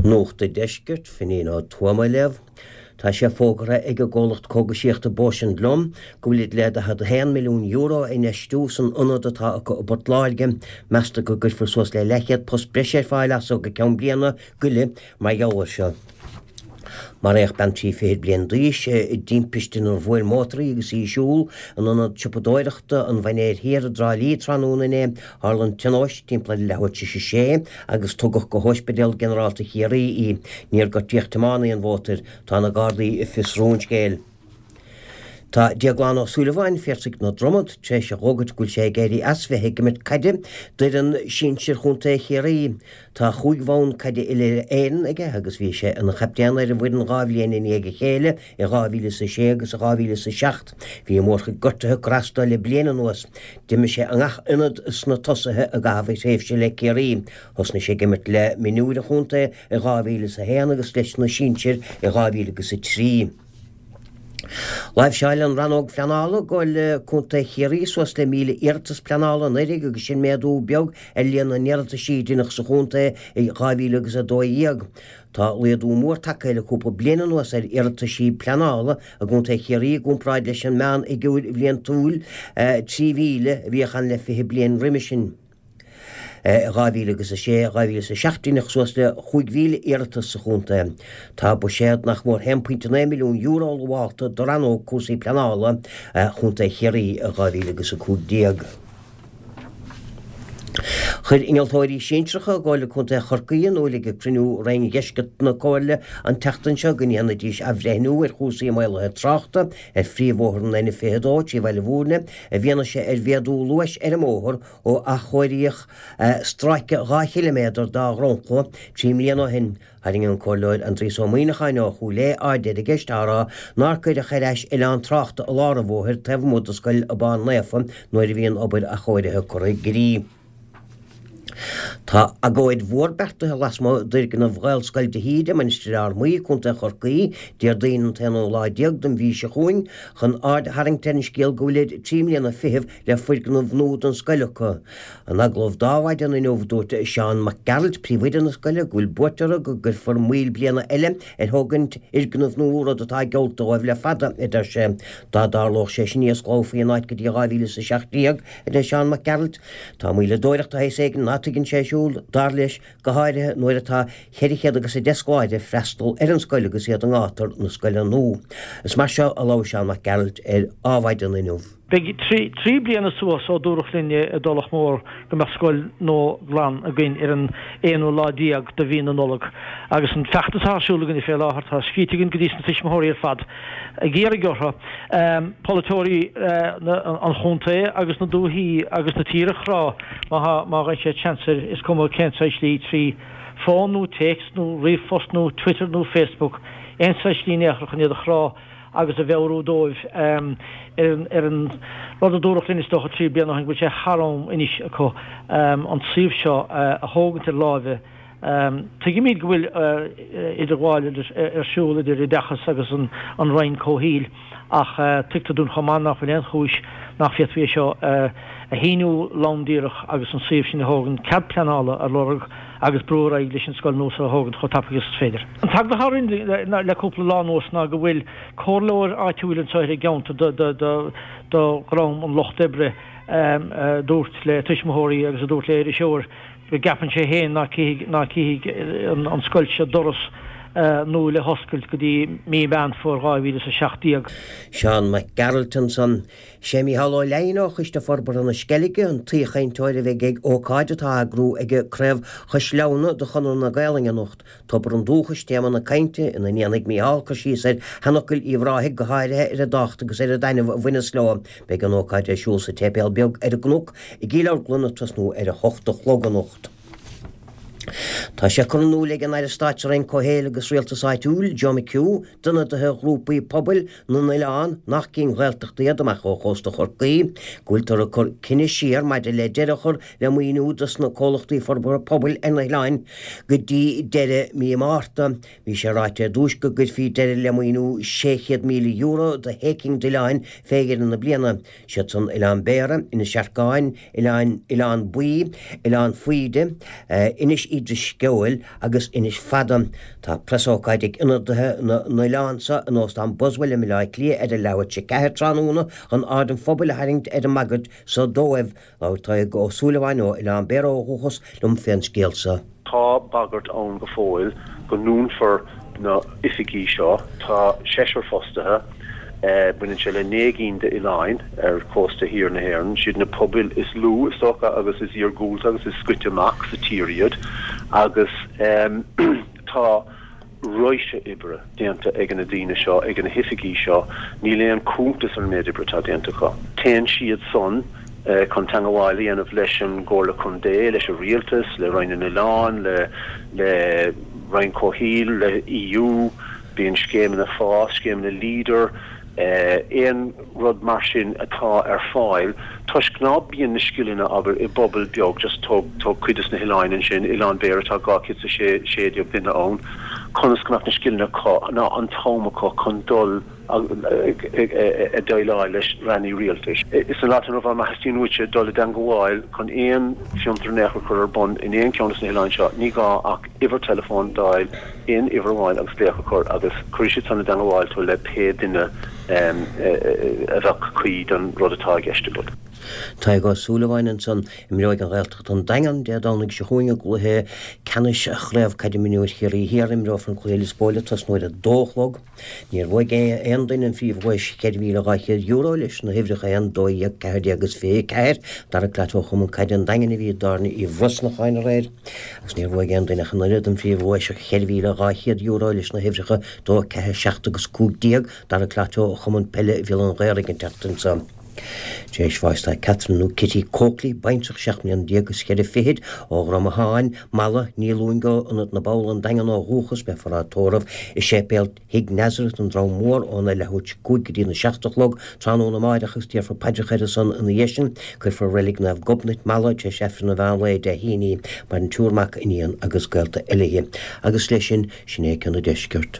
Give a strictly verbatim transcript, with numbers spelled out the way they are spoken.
Nuacht an Deiscirt, Finín Ó Tuama ag léamh. Tá sé fógartha ag an gcomhlacht cógaisíochta Bausch and Lomb go bhfuilid le daichead a haon milliún euro a infheistiú san ionad atá acu i bPort Láirge. Meastar go gcuirfear suas le leathchéad post breise ar fáil as so go ceann bliana go leith mar gheall air seo. Maraíodh bean trí fichid bliain d'aois i dtimpiste inar bhuail mótar í agus í ag siúl in ionad siopadóireachta an Mhainéir Thiar i dTrá Lí tráthnóna inné. Tharla an tionóisc timpeall ar leathuair tar éis a sé agus tugadh go hOspidéal Ginearálta Chiarraí í. Níor gortaíodh tiománaí an mhótair. Tá na Gardaí ag fiosrú an scéil. Tá Déaglán Ó Súilleabháin, Piarsaigh na Dromad, tar éis a dh'fhógairt go bhfuil sé ag éirí as bheith ag imirt caide d'fhoireann sinsir Chontae Chiarraí. Tá chúig bhonn caide uile-Éireann aige agus bhí sé ina chaptaen ar an bhfoireann dhá bhliain i ndiaidh a chéile, i dhá mhíle is a sé agus i dhá mhíle is a seacht. Bhí mórchuid gortuithe ag cur as dó le bliain anuas. D'imir sé i ngach ionad sna tosaithe i gcaitheamh a thréimhse le Ciarraí. Thosnaigh sé ag imirt le mionúir an chontae i dhá mhíle is a haon agus leis na sinsir i dhá mhíle agus a trí. Láimhseáil an Rannóg Phleanála i gComhairle Contae Chiarraí suas le míle iarratas pleanála anuraidh agus sin méadú beag ar líon na n-iarrataisí a deineadh sa chontae i dhá mhíle agus a dó dhéag. Tá laghdú mór tagtha le cúpla bliain anuas ar iarrataisí pleanála i gContae Chiarraí i gcomparáid leis an meánfhigiúr bhliantúil trí mhíle a bhíodh ann le fiche bliain roimhe sin. I dhá mhíle agus a sé, dhá mhíle is a seacht deineadh suas le chúig mhíle iarratas sa chontae. Tá buiséad nach mór haon pointe naoi milliún euro lamhálta do rannóg cúrsaí pleanála Chontae Chiarraí i dhá mhíle agus a cúig déag. Chuir innealtóirí sinsearacha i gComhairle Contae Chorcaí in iúl ag cruinniú Roinn Dheisceart na Comhairle an tseachtain seo go ndéanfaidís athbhreithniú ar chúrsaí maolaithe tráchta ar phríomhbhóthar an N fiche a dó trí Bhaile Bhúirne i bhfianaise ar mhéadú luais ar an mbóthar ó athchóiríodh stráice dhá chiliméadar dá dhromchla trí mbliana ó shin. Tharraing an Comhairleoir Aindrias Ó Muimhneacháin ó Chúil Aodha aird ar an gceist á rá nár cuireadh ar ais oileán tráchta i lár an bhóthair taobh amuigh de Scoil Abán Naofa nuair a bhí an obair athchóirithe curtha i gcrích. Tá agóid mhór beartaithe lasmuigh d'fhoirgneamh Ghaelscoil de hÍde, Mainistir Fhear Maí, Contae Chorcaí, Déardaoin an t-aonú lá déag den mhí seo chugainn, chun aird a tharraingt ar an scéal go bhfuilid trí mbliana fichead le foirgneamh nua don scoil acu. In agallamh d'Adhmhaidin inniu, dúirt Seán Mac Gearailt, príomhoide na scoile, go bhfuil buairt orthu go gcuirfear moill bliana eile ar thógaint fhoirgneamh nua, rud atá geallta dóibh le fada, a deir sé. Dá dtarlódh sé sin ní osclófaí an áit go dtí dhá mhíle is a seacht déag, a deir Seán Mac Gearailt. Tá moilleadóireacht de shaghas éigin ná tuigeann sé ar siúl, dar leis, go háirithe nuair atá ceithre chéad agus a deich scoláire ag freastal ar an scoil agus iad i ngátar na scoile nua. Is mar seo a labhair Seán Mac Gearailt ar Adhmhaidin inniu. Beidh trí trí bliana suas ó dúradh linn i dTulach Mhór go mbeadh scoil nua glan againn ar an aonú lá déag de mhí na Nollag agus an feachtas atá ar siúl againne fé láthair tá scríte againn go dtí sna tuismitheoirí ar fad ag iarraidh orthu polaiteoirí an chontae agus na dúichí agus na tíre a chrá má tá má gheibheann siad seans air is cuma cén saghas slí trí fón nó téacs nó ríomhphost nó Twitter nó Facebook aon saghas slí in aon chor chun iad a chrá agus a mheabhrú dóibh ar an rud a dúradh linn is dócha trí bliana ó shin go bhfuil sé thar am anois acu an suíomh seo a thógaint ar láimhe. Tuigimid go bhfuil idirghabháil ar siúl idir Oideachas agus an Roinn Comhshaoil ach tuigtear dúinn chomh maith nach bhfuil aon chúis nach bhféadfaí é seo a shíniú lom díreach agus an suíomh sin a thógaint, cead pleanála a lorg agus brú ar aghaidh leis an scoil nua seo a thógaint chomh tapaidh agus is féidir. An t-eagla atá orainn le cúpla lá anuas ná go bhfuil comhairleoir áitiúil anseo ar an gceantar do dhream an Lucht Oibre a dúirt le tuismitheoirí agus a dúirt le iriseoir go gceapann sé féin ná cífidh an scoil seo doras nua le hoscailt go dtí mí Mheán Fómhair dhá mhíle is a seacht déag. Seán Mac Gearailt ansan. Sé Mícheál Ó Leidhin ó Choiste Forbartha na Sceilge an t-aoichainteoir a bheidh ag ócáid atá á eagrú ag Craobh Chois Leamhna de Chonradh na Gaolainne anocht. Tobar an Dúchais téama na cainte, ina ndéanfaidh Mícheál cur síos ar sheanfhocail Uíbh Ráthaigh, go háirithe ar a dtábhacht agus ar an dtaitneamh a bhaineas leo. Beidh an ócáid ar siúl sa tSéipéal Beag ar an gCnoc i gCill Orglan ag tosnú ar a hocht a chlog anocht. Tá sé curtha in iúl ag an Aire Stáit sa Roinn Comhshaoil agus Rialtais Áitiúil, Joe McHugh, d'ionadaithe ghrúpaí pobail na n-oileán nach cinn Ghaeltachta iad amach ó chósta Chorcaí, go bhfuiltear ag cur cinneadh siar maidir le deireadh a chur le maoiniú dos na comhlachtaí forbartha pobail ar na hoileáin go dtí deireadh mí Márta. Bhí sé ráite ar dtús go gcuirfí deireadh le maoiniú sé chéad míle euro do shé cinn d'oileáin fé dheireadh na bliana. Siad san Oileán Béarra, Inis Arcáin, Oileán Oileán Baoi, Oileán Faoide, Inis Uí Drisceoil agus Inis Fada. Tá preasócáid ag ionadaithe na n-oileán seo in Óstán Boswell i mBaile Átha Cliath ar a leathuair tar éis a ceathair tráthnóna chun aird an phobail a tharraingt ar an mbagairt so dóibh. Labhair Tadhg Ó Súilleabháin ó Oileán Béarra ó dhúchas liom fén scéal seo. Tá bagairt ann go fóill go ndúnfar na hoifigí seo. Tá seisear fostaithe. Baineann sé le naoi gcinn d'oileáin ar chósta thiar na hÉireann. Siad na pobail is lú, is dócha, agus is iargúlta agus is scoite amach sa tír iad agus tá raidhse oibre déanta ag na daoine seo, ag na hoifigí seo. Níl aon cuntas ar an méid oibre atá déanta acu. Téann siad san chun teangabháil a dhéanamh leis an gComhairle Contae, leis an Rialtas, le Roinn na nOileán, le le Roinn Comhshaoil, le EU, bíonn scéimeanna FÁS, scéimeanna Leader, aon rud mar sin atá ar fáil toisc ná bíonn na scileanna, abair, i bpobal beag, just tóg tóg cuid des na hoileáin ansin, Oileán Béarra tá dhá chéad is a sé sé déag duine ann, conas go mbeadh na scileanna acu ná an t-am acu chun dul ag déileáil leis rannaí rialtais. Sa lá atá inniu ann, má theastaíonn uaitse dul i dteangabháil chun aon fiontar in aon chor a chur ar bun in aon cheann de na hoileáin seo, ní gá ach uimhir teileafóin d'fháil, aon uimhir amháin agus glaoch a chur agus cuirfidh siad san i dteangabháil tú le pé duine a bheadh cuí don rud atá i gceist agat. Tadhg Ó Súilleabháin ansan. Imreoidh an Ghaeltacht an Daingean Dé Domhnaigh seo chugainn i gcluiche ceannais Chraobh Caide Mionúir Chiarraí Thiar. Imreofar an cluiche i Lios Póil ag tosnú ar a dó a chlog. Níor bhuaigh aon duine an phríomhdhuais cheithre mhíle dhá chéad euro leis na huimhreacha a haon, dó dhéag, ceathair déag agus fiche a ceathair. Darragh Platt ó Chumann Caide an Daingin a bhí i dtábhairne Uí Bhrosnacháin aréir agus níor bhuaigh aon duine ach an oiread an phríomhdhuais cheithre mhíle dhá chéad euro leis na huimhreacha dó, ceathair, seacht agus cúig déag. Darragh Platt ó Chumann Peile Bhéal an Ghaorthaidh an tseachtain seo. Tar éis bháis tá Catherine nó Kitty Coakley, baintreach seacht mbliana déag is ceithre fichid, ó Dhrom Atháin, Mala, Ní Luain go Ionad na bPoll, An Daingean ó dhúchas, beifear á tórramh i Séipéal Thigh Nazareth, An Drom Mór, óna leathuair tar éis a cúig go dtí na seacht a chlog tráthnóna amáireach agus déarfar paidreacha ar a son ina dhiaidh sin. Cuirfear i Reilig Naomh Gobnait, Mala, tar éis Aifreann an mheán lae Dé hAoine í. Maireann triúr mac, iníon agus gaolta eile. Agus leis sin, sin é Ceann an Deiscirt.